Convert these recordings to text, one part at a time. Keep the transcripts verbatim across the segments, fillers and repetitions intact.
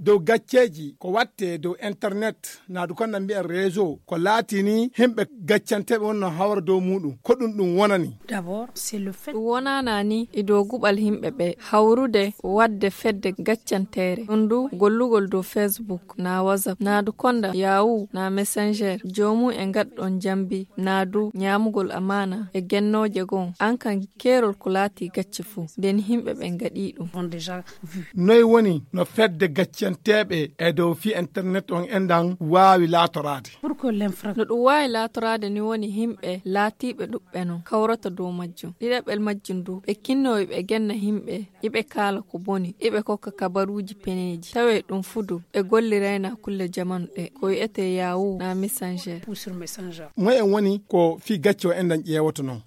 dow gacceeji ko waɗte dow internet, naadu kon na mbiyen réseau, ko laatini himɓe gaccanteeɓe wonno hawra dow muuɗum, ko ɗum ɗum wonani. Ɗum wonaana ni e dow guɓal himɓe ɓe hawrude waɗde fedde gaccanteere ɗum du gollugol dow facebook na whatsapp naadu konda yahoo na messenger joomum e ngaɗɗon jambi naadu ñaamugol amaana e gennooje goo an kan keerol ko laati gacce fuu nden himɓe ɓen ngaɗii ɗum. Noy woni no fedde gaccanteeɓe e dow fii internet on enɗan waawi laatoraade? No ɗum waawi laatoraade ni woni himɓe laatiiɓe ɗuɓɓe non kawrata dow majjum ɗiɗaɓel majjum du ɓe kinnoo iɓe genna himɓe iɓe kaala ko boni iɓe kokka kabaruuji peneeji tawee ɗum fuu du ɓe gollirayna kulle jamanu ɗe ko wi'etee yahoo na messenger. Moy en woni ko fii gacce o enɗan ƴeewoto non?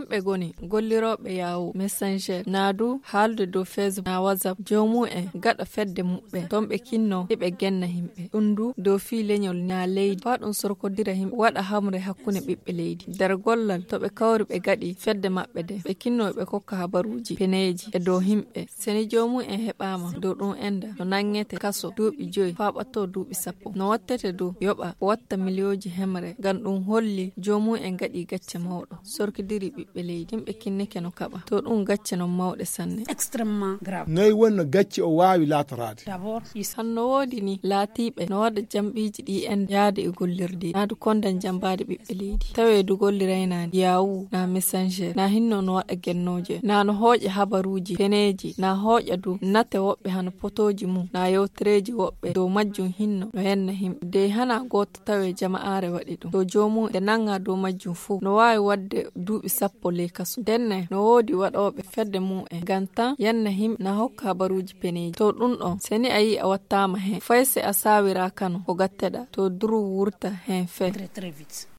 Kamɓe goni gollirooɓe yahoo messenger na du haalude dow facebook na whatsapp joomum en gaɗa fedde muɓɓen ton ɓe kinnoo iɓe genna himɓe ɗum du dow fii leñol na leydi faa ɗum sorkodira himɓe waɗa hamre hakkunde ɓiɓɓe leydi nder gollal to ɓe kawri ɓe gaɗi fedde maɓɓe de ɓe kinnoo ɓe kokka habaruuji peneeji e dow himɓe seni joomum en heɓaama dow ɗum enda no nanngete kaso duuɓi joyi faa ɓattoo duuɓi sappo no wattete dow yoɓa watta miliyooji hemre ngam ɗum holli joomum en gaɗi gacce mawɗo sorkidiri ɓiɓɓe leydi yimɓe kinnike no kaɓa to ɗum gacce non mawɗe sanne. Noy woni no gacce o waawi laatoraade? Hanno woodi ni laatiiɓe no waɗa jamɓiiji ɗi en yaade e gollirde naadu kondan jambaade ɓiɓɓe leydi tawee du golliraynaani yahoo na messenger na hinno no waɗa gennooje na no hooƴa habaruuji peneeji na hooƴa du nate woɓɓe hano potooji mum na yewtereeji woɓɓe dow majjum hinno no yenna himɓe dey hana gooto tawee jama'aare waɗi ɗum to joomum nde nannga dow majjum fuu no waawi waɗde duuɓi sappo ley kaso ndenne no woodi waɗooɓe fedde mum en ngam tan yenna himɓe na hokka habaruuji peneeji to ɗum ɗon seni a yii a wattaama heen fay si a saawiraakano ko gatteɗaa to duru wurta heen fee.